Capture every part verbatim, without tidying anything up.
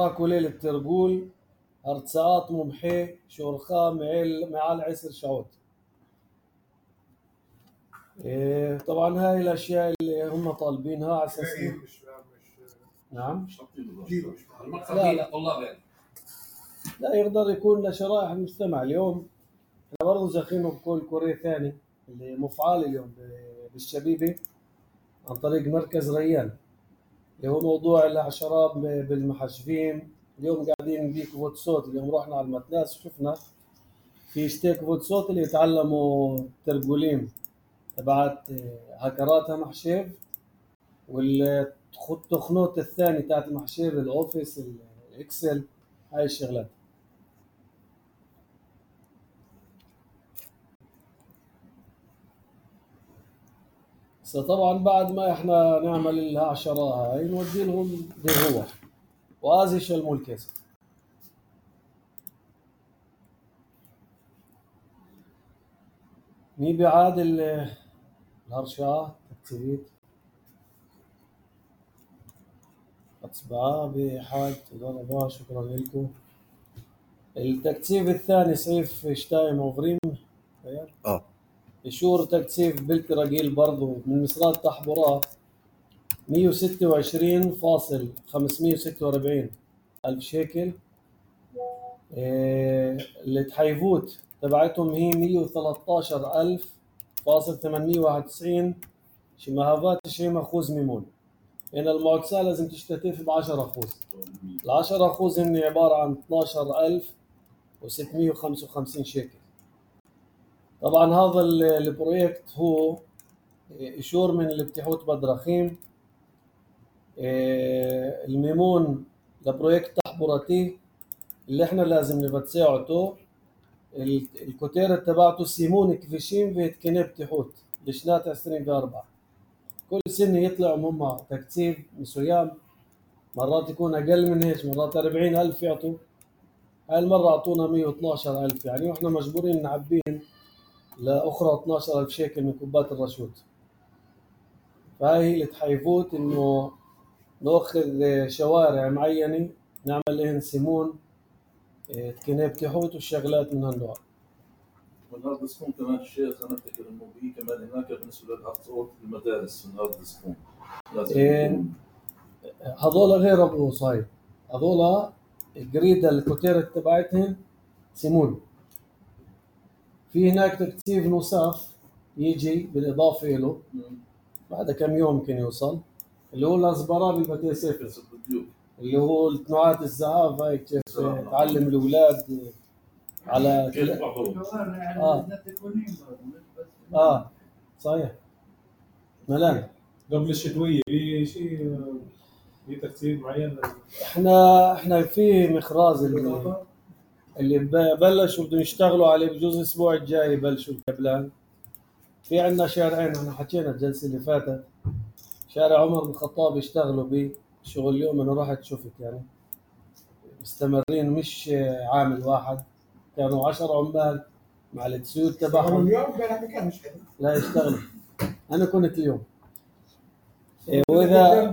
كوليل الترقول هرتساقات ممحي شورخا معال عسر شعوت. إيه طبعا هاي الاشياء اللي هم طالبينها على اساس نعم لا لا لا يقدر يكون لشرائح المجتمع. اليوم احنا برضه زاخينه بكل كوري ثاني اللي مفعال اليوم بالشبيبه عن طريق مركز ريان اللي هو موضوع الاعشارات بالمحجبين. اليوم قاعدين بيك فوت صوت. اليوم رحنا على المتناس وشفنا في اشتيك فوت صوت اللي يتعلموا ترقولين تبعت هكراتها محشيف والتخنوت الثاني تاعت المحشيف الاوفيس الاكسل هاي الشغلات. طبعا بعد ما احنا نعمل العشرة هاي نودي لهم بالروح وازش الملكس. مي بعاد الهرشات تكتيبيت اطبعاء بحاج تضربا. شكرا لكم. التكتيف الثاني سيف شتايم اوفريم اه يشور تكتيف بالتراجيل برضو من مصرات تحبورات مية وستة وعشرين فاصل خمسمية وستة وأربعين ألف شيكل. إيه اللي تحيفوت تبعتهم هي مية وثلاثة عشر ألف فاصل ثمانمية وواحد وتسعين شمهافات تشرين أخوز ميمون. هنا المعتسة لازم تشتتف بعشرة أخوز. العشرة أخوز هن عبارة عن اثناشر ألف وستمية وخمسة وخمسين شيكل. طبعا هذا البروجكت هو إشور من الابتحوت بدرخيم. الميمون لبروجكت تحبوراتي اللي احنا لازم نبتساعته الكوتيرة تبعته سيمون كفيشين فيت كنب تحوت لشنات عشرين في أربعة. كل سنة يطلعوا هم تكتيف مسويام مرات يكون أقل من هيك مرات أربعين ألف يعطوا. هاي المرة أعطونا مية واثناشر ألف يعني وإحنا مجبورين نعبين لأخرى اثناشر ألف شيكل من كوبات الرشود. فهاي هي اللي تحيفوت إنه نأخذ شوارع معينة نعمل لهن سيمون تكنيب تحوت والشغلات من هالنوع. والهارد سبون كمان الشيخ أنا أفتكر إنه في كمان هناك بالنسبة للهارد صوت المدارس الهارد سبون لازم إيه هذولا غير أبو صايب. هذولا الجريدة الكوتيرة تبعتهم سيمون. في هناك تكتيف نصاف يجي بالإضافة له بعد كم يوم يمكن يوصل اللي هو الأصبرا بالبتي سيفر اللي هو التنوعات الزهاف هاي كيف تعلم الأولاد على كيف آه. آه صحيح ملان قبل الشتوية في شيء في ترتيب معين. احنا احنا في مخراز اللي اللي بلشوا بدهم يشتغلوا عليه بجوز الاسبوع الجاي يبلشوا الكبلان. في عندنا شارعين احنا حكينا الجلسه اللي فاتت شارع عمر بن الخطاب يشتغلوا به شغل اليوم انا رحت شفت يعني مستمرين مش عامل واحد كانوا عشر عمال مع التسويق تبعهم. اليوم كان مش حلو لا يشتغلوا. انا كنت اليوم إيه واذا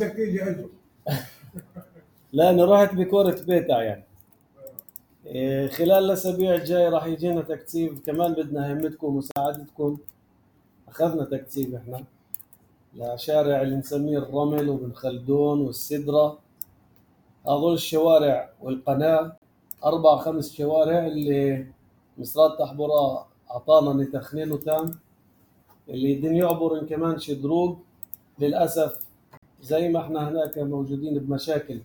لا انا رحت بكورة بيتع يعني إيه خلال الاسابيع الجايه راح يجينا تكتيف كمان بدنا همتكم ومساعدتكم. اخذنا تكتيف احنا لشارع اللي نسميه الرمل وبن خلدون والسدرة. هذول الشوارع والقناة أربع خمس شوارع اللي مصرات تحبورا أعطانا نتخنين وتام اللي يدين يعبرن كمان شدروق. للأسف زي ما احنا هناك موجودين بمشاكل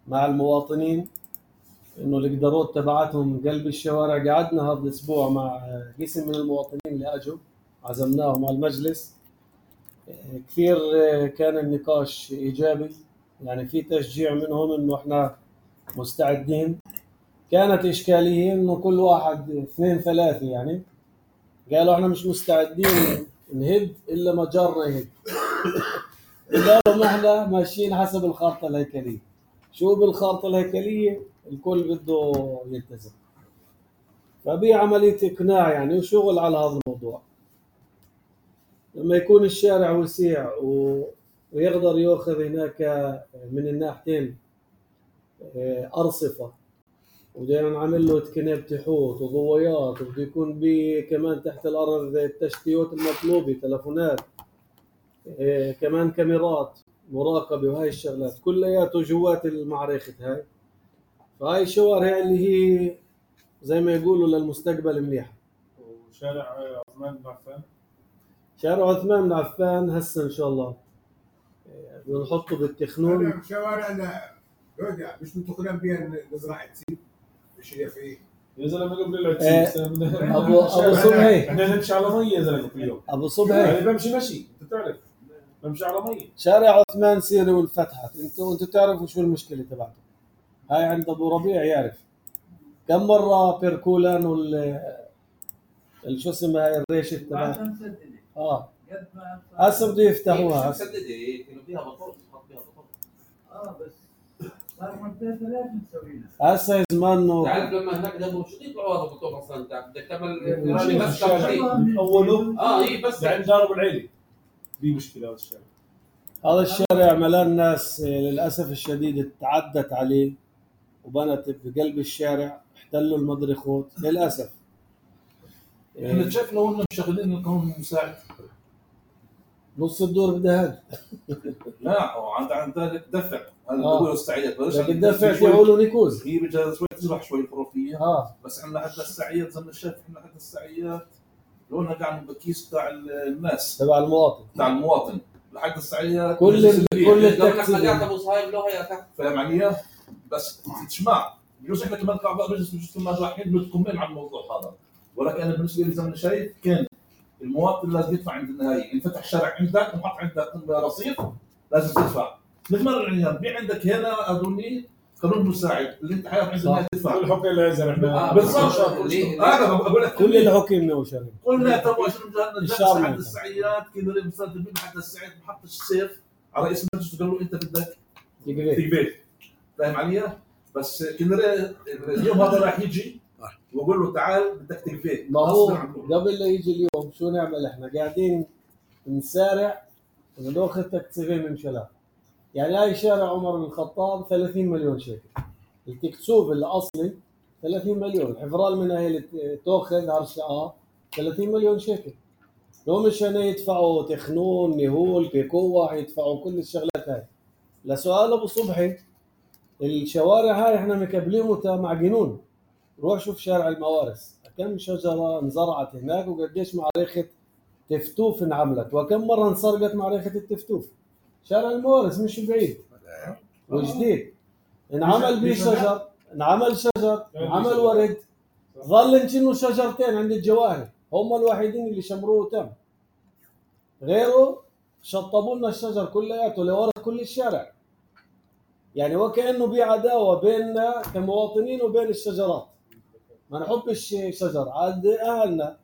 مع المواطنين إنه القدرات تبعتهم قلب الشوارع. قعدنا هذا الأسبوع مع قسم من المواطنين اللي أجوا عزمناهم على المجلس. كثير كان النقاش إيجابي يعني في تشجيع منهم إنه إحنا مستعدين. كانت إشكالية إنه كل واحد اثنين ثلاثة يعني قالوا إحنا مش مستعدين نهد إلا ما جارنا يهد. قالوا إحنا ماشيين حسب الخارطة الهيكلية. شو بالخارطة الهيكلية الكل بده يلتزم. فبي عملية إقناع يعني وشغل على هذا الموضوع. لما يكون الشارع وسيع و... ويقدر يأخذ هناك من الناحيتين أرصفة، وبدنا نعمل له كناب حوت وضويات، وبده يكون بي كمان تحت الأرض التشتيات المطلوبة، تلفونات، إيه كمان كاميرات مراقبة وهاي الشغلات كلياته جوات المعركة هاي. فهاي الشوارع اللي هي زي ما يقولوا للمستقبل منيحة. وشارع عثمان بن عفان، شارع عثمان بن عفان هسه إن شاء الله بدنا نحطه بالتخنون. شوارعنا مش متقنين بها نزرع عدسين مش هي فيه يا زلمه قبل العدسين ابو ابو صبحي احنا نمشي على مي يا زلمه كل يوم. ابو صبحي يعني بمشي مشي انت تعرف بمشي على مي. شارع عثمان سيري والفتحت، انتوا انتوا تعرفوا شو المشكله تبعته. هاي عند ابو ربيع يعرف كم مره بيركولان وال شو اسمها هاي الريشه تبعها اه هسه بده يفتحوها هسه مسدده كانوا فيها بطاطس حط فيها بطاطس اه بس صار منطقه ثلاث مسوينا هسه زمانه. تعرف لما هناك ذهبوا شو يطلعوا هذا البطاطس اصلا انت بدك تعمل ماشي بس الشارع من اوله اه هي بس عند دار ابو العيلي دي مشكله هذا الشارع. هذا الشارع ملان ناس للاسف الشديد تعدت عليه وبنت بقلب الشارع، احتلوا المضرخوت للاسف. احنا شايف لو انهم مشغلين القانون المساعد نص الدور بدها هاد. لا وعند عند ذلك دفع هذا آه. بقول السعيات بلاش بدك تدفع تقولوا نيكوز. هي بدها شوي تزرع شوي خرافيه اه بس احنا حتى السعيات زي ما شايف احنا حتى السعيات لونها قاعد بالكيس تاع الناس تبع المواطن تاع المواطن لحد السعيات كل ال... كل لو التكتيك رجعت ابو صهيب له هي تحت فاهم علي؟ بس تسمع بجوز احنا كمان كاعضاء مجلس بجوز كمان رايحين متكملين على الموضوع هذا، ولكن انا بالنسبه لي زي ما شايف كان المواطن لازم يدفع عند النهايه، انفتح شارع عندك وحط عندك رصيف لازم تدفع. مثل ما العنيان بيع عندك هنا اظني قانون مساعد اللي انت حياة عند النهايه تدفع. كل حكي الازرق احنا بالضبط هذا بقول لك كل الحكم نوشر. قلنا تبغى شنو الشعب نجلس عند السعيات كذا مستخدمين حتى السعيد محط السيف على رئيس المجلس قال له انت بدك تقبل فاهم علي؟ بس كنا اليوم هذا راح يجي واقول له تعال بدك تقبل. ما هو قبل لا يجي اليوم شو نعمل احنا؟ قاعدين نسارع وناخذ تكتيفين من شلال. يعني هاي شارع عمر بن الخطاب ثلاثين مليون شيكل، التكسوب الاصلي ثلاثين مليون، الحفرال من هي تاخذ هرشقه ثلاثين مليون شيكل. لو مشان يدفعوا تخنون نهول كيكوة يدفعوا كل الشغلات هاي. لسؤال ابو صبحي الشوارع هاي احنا مكبلينها مع جنون. روح شوف شارع الموارث كم شجره انزرعت هناك وقديش معركه تفتوف انعملت وكم مره انسرقت معركه التفتوف. شارع الموارث مش بعيد وجديد انعمل به شجر، انعمل شجر، انعمل ورد، ظل انه شجرتين عند الجواهر هم الوحيدين اللي شمروه وتم. غيره شطبوا لنا الشجر كلياته لورا كل الشارع. يعني وكأنه في عداوه بيننا كمواطنين وبين الشجرات. ما نحبش شجر، عاد اهلنا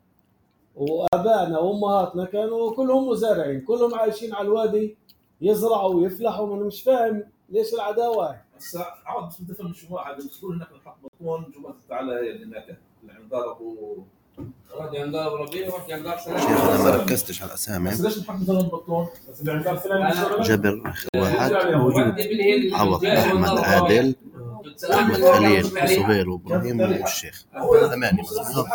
وابائنا وامهاتنا كانوا كلهم مزارعين، كلهم عايشين على الوادي يزرعوا ويفلحوا. وانا مش فاهم ليش العداوه هاي. هسه عاد بس بدي افهم شو واحد بتقول هناك نحط بطون جوا تعالى اللي هناك اللي عند دار ابو رحت عند ابو ربيع ورحت عند دار سلام. شيخ انا ما ركزتش على الاسامي. بس ليش نحط مثلا بطون؟ بس اللي عند دار سلام جبر واحد موجود، عوض احمد عادل احمد خليل صهير وابراهيم والشيخ ثمانية مظبوط.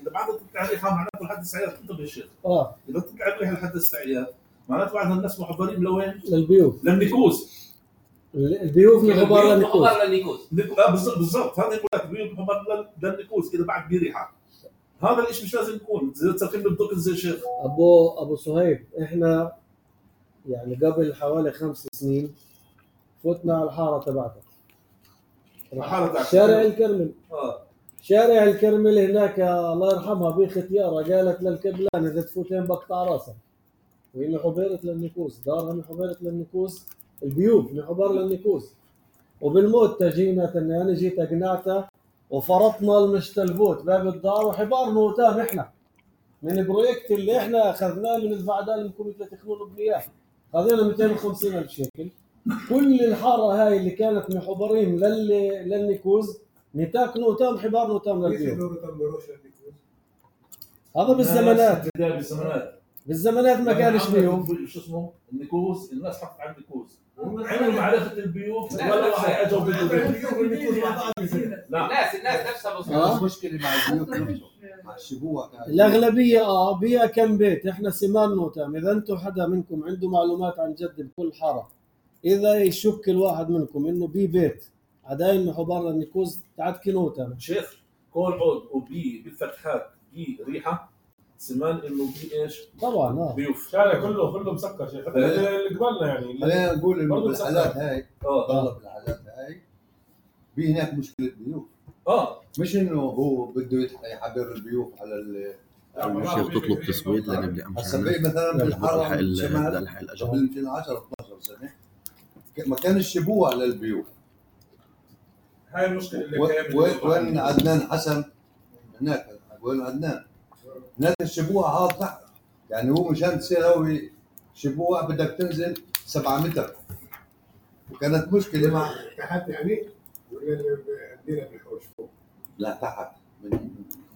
اذا بعد تطلع ريحه معناته لحد السعيات انتبه الشيخ. اه اذا تطلع ريحه لحد السعيات معناته بعد الناس محضرين لوين؟ للبيوت. للنيكوز. البيوت من غبار للنيكوز. اه بالضبط بالضبط هذا يقول لك بيوت محضر للنيكوز اذا بعد بريحه. هذا الشيء مش لازم يكون زي تسكن بالدق زي الشيخ. ابو ابو صهيب احنا يعني قبل حوالي خمس سنين فتنا على الحاره تبعتك. شارع الكرمل. اه شارع الكرمل هناك الله يرحمها بختيارة قالت للكبلان اذا تفوتين بقطع راسها. وهي من حبيرة للنيكوز، دارها من حبيرة للنيكوز، البيوت من حبار للنيكوز. وبالموت تجينا اني انا جيت اقنعتها وفرطنا المشتلفوت باب الدار وحبار موتام احنا من البروجكت اللي احنا اخذناه من الفعدان من كوميتي تخنون وبنياه. خذينا مئتين وخمسين ألف شيكل. كل الحاره هاي اللي كانت محبرين لل للنيكوز نتاك نوتام حبار نوتام للبيوت. هذا بالزمانات. بداية بالزمانات. بالزمانات ما كانش بيوف. شو اسمه النيكوز، الناس حطت على النيكوز عملوا معرفه البيوف ولا واحد اجوا بده لا الناس الناس نفسها بس آه. مشكله مع البيوت نفسه مع الشبوع كان. الأغلبية اه بيها كم بيت. احنا سمان نوتام. إذا أنتم حدا منكم عنده معلومات عن جد بكل حارة، إذا يشك الواحد منكم إنه بي بيت عداين محو برا النيكوز تعد نوتام. شيخ كل عود وبي بالفتحات بي ريحه سمان انه بي ايش؟ طبعا اه بيوف. الشارع كله كله مسكر شيخ، حتى اللي قبلنا يعني. خلينا نقول انه برضو بالحالات هاي اه ضل بالحالات هاي في هناك مشكله بيوت، اه مش انه هو بده يتح- يحبر البيوت على ال الشيخ تطلب تصويت لنبدا هسه مشان بي مثلا بالحرم الحق ال- الشمال الحق الاجر. قبل يمكن عشرة اثني عشر سنه ك- ما كان الشبوع للبيوت. هاي المشكله اللي و- كانت و- وين عدنان حسن هناك، وين عدنان هناك الشبوع هذا تحت، يعني هو مشان تصير هو شبوع بدك تنزل سبعة متر، وكانت مشكله مع تحت يعني ولا عندنا بالحوش فوق؟ لا تحت من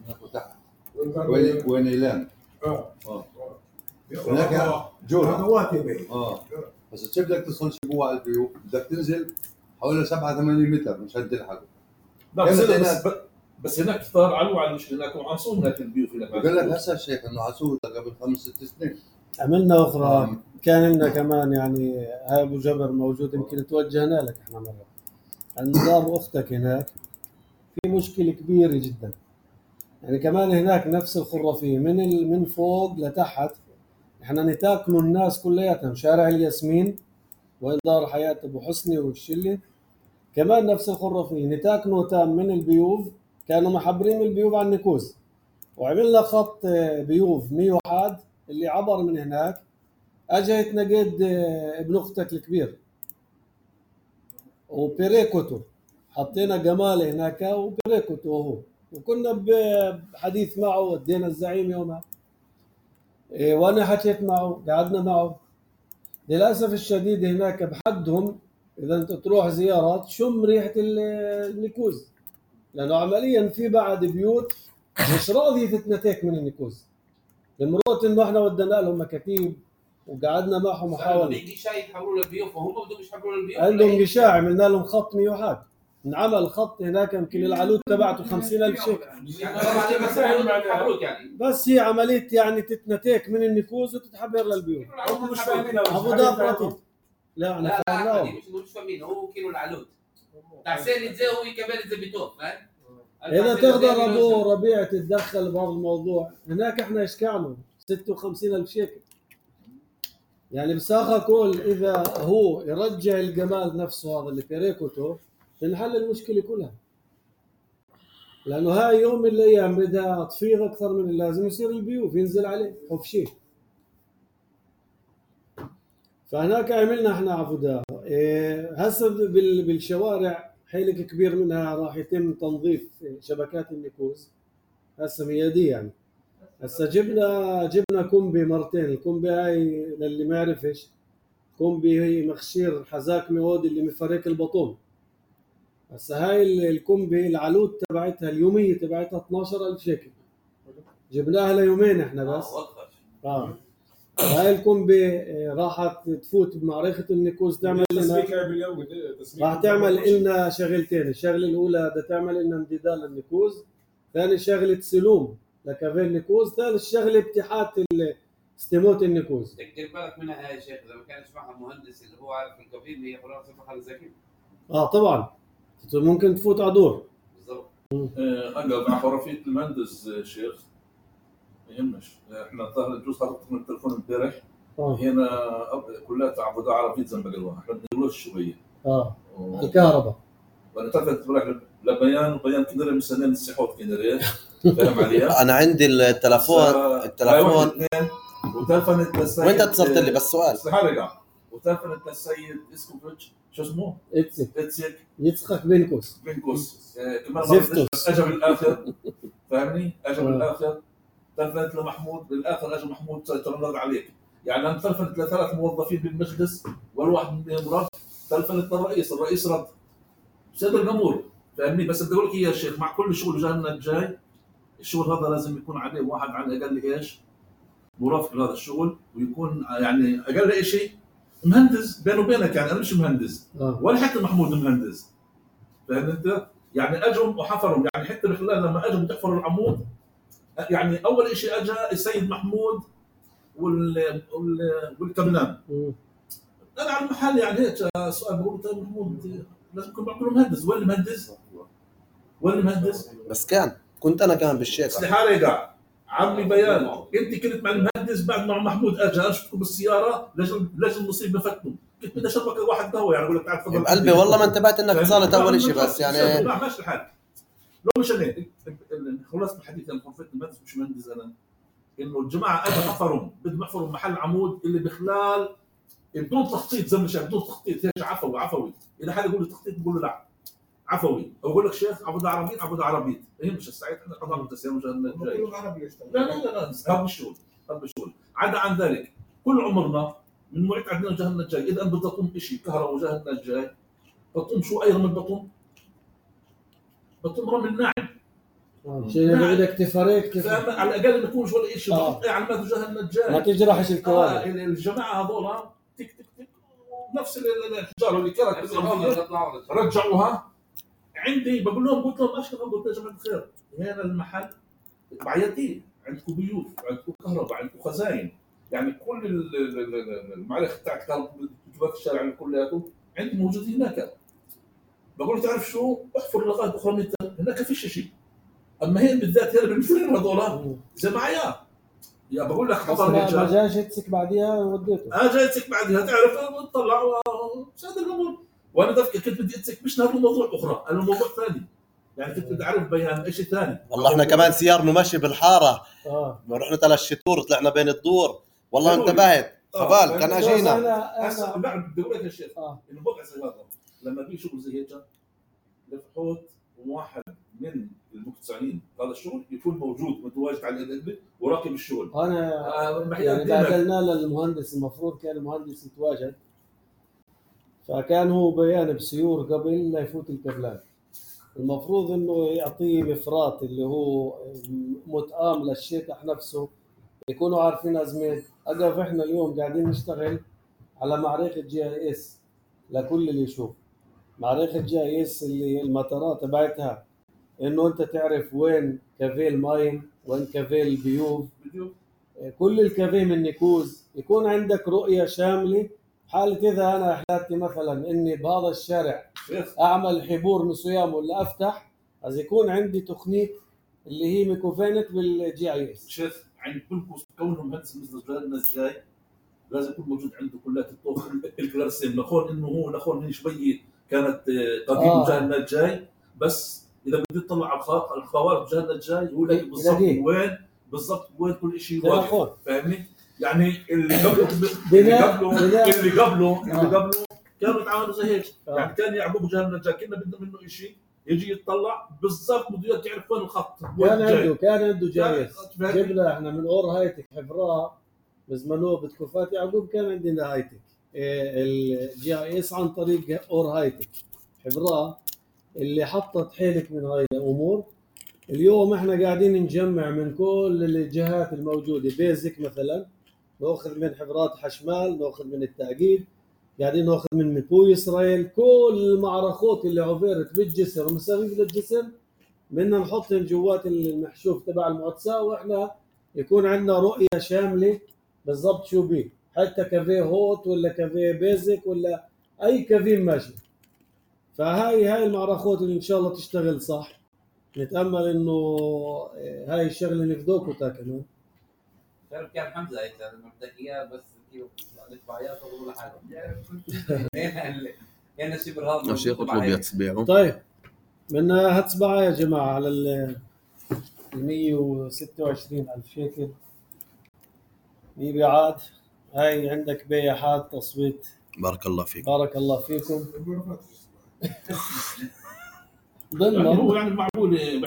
هناك وتحت وين وين وين ايلام اه اه هناك هناك جورة خطوات يا بيه. اه بس كيف بدك تصل شبوع على البيوت بدك تنزل حوالي سبعة ثمانية متر مشان تلحقه. لا بس, كانت بس, هناك- بس, بس هناك صار علو على المشكله هناك وعصوا هناك البيوف هناك. بقول لك هسه الشيخ انه عسول قبل خمس ست سنين عملنا أخرى. آه. كان لنا كمان يعني هاي أبو جبر موجود، يمكن توجهنا لك احنا مرة. عند دار أختك هناك في مشكلة كبيرة جدا. يعني كمان هناك نفس الخرافية من ال- من فوق لتحت. احنا نتاكلوا الناس كلياتهم. شارع الياسمين وين دار حياة أبو حسني والشلة كمان نفس الخرافية. نتاكلوا تام من البيوف، كانوا محبرين البيوف على النكوز، وعملنا خط بيوف مية وواحد اللي عبر من هناك اجى يتنقد ابن اختك الكبير وبيريكوتو. حطينا جمال هناك وبيريكوتو وهو، وكنا بحديث معه ودينا الزعيم يومها. إيه وانا حكيت معه قعدنا معه. للاسف الشديد هناك بحدهم اذا انت تروح زيارات شم ريحه النكوز، لانه عمليا في بعد بيوت مش راضيه تتنتك من النكوز. المرات انه احنا ودنا لهم مكاتيب وقعدنا معهم محاولة. غشاء يحولوا للبيوت وهم بدهم يحولوا للبيوت. عندهم غشاء عملنا لهم خط مية وواحد. انعمل خط هناك يمكن العلوت تبعته خمسين ألف شيكل. يعني بس يحولوا يعني. بس هي عملية يعني تتنتك من النكوز وتتحبر للبيوت. هم مش فاهمين ابو داب رتيب. لا انا لا لا فاهمناهم. مش مش فاهمين، هو كيلو العلوت تحسين زي هو كمان زبيتوه فاهم. اذا تقدر ابو ربيع تتدخل بهذا الموضوع. هناك احنا ايش كانوا ستة وخمسين ألف شيكل. يعني بساخة كل اذا هو يرجع الجمال نفسه هذا اللي بيريكوتو تنحل المشكلة كلها. لانه هاي يوم من الايام بدها تفيض اكثر من اللازم يصير البيوف ينزل عليه حفشي. فهناك عملنا احنا عفدا. إيه هسه بال- بالشوارع حيلك كبير منها راح يتم تنظيف شبكات النكوز هسه ميادية. يعني هسه جبنا جبنا كومبي مرتين. الكومبي هاي للي ما يعرفش، كومبي هي مخشير حذاك ميود اللي مفرك البطون. هسه هاي ال- الكومبي العلوت تبعتها اليومية تبعتها اثناشر ألف شيكل. جبناها ليومين احنا بس. اه هاي الكومبي آه، راحت تفوت بمعركة النكوز تعمل لنا تسميكها باليوم تسميك راح تعمل لنا شغلتين. الشغله الاولى بدها تعمل لنا امتداد للنكوز، ثاني شغله سلوم لكافيه النكوز، ثالث شغله ابتحات استموت النكوز. بدك دير بالك منها يا شيخ، اذا ما كانش معها مهندس اللي هو عارف الكفيل هي خلاص محل زكي. اه طبعا ممكن تفوت على دور. بالضبط. هلا مع خرافيه المهندس آه، شيخ ما يهمش. احنا ظهر الجوز خرجت من التليفون امبارح اه هنا كلها تعبد عربيه زنبق الواحد احنا بندورش شويه اه و- الكهرباء. وانا تفت بروح لبيان وبيان كنري مستنين السحوت كنري فاهم عليها؟ انا عندي التلفون التلفون اثنين وتلفنت للسيد وانت اتصلت لي بس سؤال. استحرق وتلفنت للسيد اسكوفيتش شو اسمه؟ اتسك اتسك يتسخك بينكوس. بنكوس آه، كمان زفتوس. بس اجى بالاخر فاهمني؟ اجى آه. بالاخر تلفنت لمحمود بالاخر اجى محمود ترنض عليك. يعني انا تلفنت لثلاث موظفين بالمجلس والواحد منهم رد. تلفنت للرئيس، الرئيس رد صدر الامور فاهمني. بس بدي اقول لك يا شيخ مع كل شغل جاي لنا الجاي الشغل هذا لازم يكون عليه واحد على الاقل ايش؟ مرافق لهذا الشغل ويكون يعني اقل شيء مهندس بينه وبينك. يعني انا مش مهندس آه. ولا حتى محمود مهندس، فاهم انت؟ يعني اجوا وحفروا، يعني حتى بخلال لما اجوا يحفروا العمود، يعني اول شيء اجى السيد محمود وال وال والكبنان. مم. انا على المحل يعني هيك سؤال بقول طيب محمود لازم يكون معقول مهندس، وين المهندس؟ وين المهندس؟ بس كان كنت انا كمان بالشيخ. استحاله يقع عمي بيان، انت كنت مع المهندس بعد ما محمود اجى اشوفكم بالسياره لجل لجل المصيبه فتنوا، كنت بدي اشربك واحد قهوه يعني اقول لك تعال تفضل بقلبي والله ما انتبهت انك اتصلت اول شيء، بس يعني لا ماشي الحال. لو مش انا خلصت الحديث انا خلصت المهندس مش مهندس انا، انه الجماعه اجوا حفروا بدهم يحفروا محل عمود اللي بخلال بدون تخطيط زي ما شايف، بدون تخطيط هيك عفوي عفوي. اذا حدا يقول لي تخطيط بقول له لا عفوي، او اقول لك شيخ عبود عربيت عبود عربيت، هي مش السعيد احنا قضاء التسيير وجهنا الجاي. كله عربي يشتغل. لا لا لا هذا الشغل هذا الشغل. عدا عن ذلك كل عمرنا من وقت عندنا وجهنا الجاي، اذا انت بدك تقوم شيء كهرباء وجهنا الجاي بتقوم شو اي رمل بتقوم؟ بتقوم رمل ناعم. شيء بدك تفرق على الاقل ما يكونش ولا شيء آه. على ما وجهنا الجاي. ما تجرحش الكوارث. آه الجماعه هذول تك تك تك نفس الحجاره اللي كانت رجعوها عندي. بقول لهم قلت لهم اشكر قلت يا جماعه الخير هنا المحل بعيدين، عندكم بيوت عندكم كهرباء عندكم خزاين، يعني كل المعالق تاعت كهرباء الشارع كلياته عندي موجود هناك. بقول له تعرف شو احفر لغايه اخرى متر هناك فيش شيء، اما هي بالذات هنا بالمثلين هذول زي معايا يا بقول لك حفر ما جاش يتسك بعديها وديته. اه جاي يتسك بعديها تعرف طلع وساد الامور. وانا ذاك كنت بدي اتسك مش هذا الموضوع اخرى، انا موضوع ثاني يعني كنت بدي اعرف بيان شيء ثاني. والله احنا كمان سيارنا ماشي بالحاره اه رحنا ثلاث شطور طلعنا بين الدور والله انتبهت خبال كان اجينا. هسه بعد بدي اقول لك يا شيخ آه. انه بوقع زي هذا لما بيجي شغل زي هيك لفحوت واحد من المقتنعين هذا الشغل يكون موجود متواجد على الادله وراقب الشغل. انا آه يعني بعدلنا للمهندس، المفروض كان المهندس يتواجد، فكان هو بيان بسيور قبل لا يفوت الكبلان. المفروض انه يعطيه مفرات اللي هو متآم للشيطح نفسه، يكونوا عارفين ازمات. اقف احنا اليوم قاعدين نشتغل على معرفة جي اي اس لكل اللي يشوف معرفة جي اي اس اللي المطارات تبعتها انه انت تعرف وين كافيه الماين وين كافيه البيوف، كل الكافيه من نيكوز، يكون عندك رؤية شاملة. حالة إذا أنا أحلاتي مثلا إني بهذا الشارع أعمل حبور مسويام ولا أفتح، از يكون عندي تقنية اللي هي ميكوفينت بالجي اي اس. شيخ عند كل كونه مهندس مثل الناس جاي لازم يكون موجود عنده كليات الطوق الكلارسين نخون انه هو نخون من شويه كانت قديم آه. وجهنا الجاي، بس اذا بدي تطلع على الخوارج وجهنا الجاي هو لاقي بالضبط وين بالضبط وين كل شيء واقف، فاهمني؟ يعني اللي قبله اللي قبله اللي قبله اللي قبله كانوا يتعاملوا زي هيك، يعني كان يعبوا وجهنا الجاي كنا بدنا منه شيء يجي يطلع بالضبط بده يعرف وين الخط. كان عنده كان عنده جايز جبنا احنا من اور هايتك حفراء بزمنوه بتكوفات يعقوب، كان عندنا هايتك الجي اي اس عن طريق اور هايتك حفراء اللي حطت حيلك من هاي الامور. اليوم احنا قاعدين نجمع من كل الجهات الموجوده، بيزك مثلا ناخذ من حفرات حشمال، ناخذ من التأكيد، قاعدين ناخذ من ميبو اسرائيل، كل المعرخات اللي عبرت بالجسر ومسافه للجسر بدنا نحطهم جوات المحشوف تبع المؤسسه، واحنا يكون عندنا رؤيه شامله بالضبط شو بيه، حتى كافيه هوت ولا كافيه بيزك ولا اي كافيه ماشي. فهاي هاي المعرخات اللي ان شاء الله تشتغل صح، نتامل انه هاي الشغله نفدوكوا كمان. تعرف كان حمزه هيك لما بدك اياه بس كيف ندفع اياه ولا حاجه يعني كان شبر هذا الشيخ اطلب يتبيعه. طيب بدنا هتصبع يا جماعه على ال مية وستة وعشرين ألف شيكل مبيعات. هاي عندك بيعات تصويت. بارك الله فيك. بارك الله فيكم. ضمن هو يعني معقول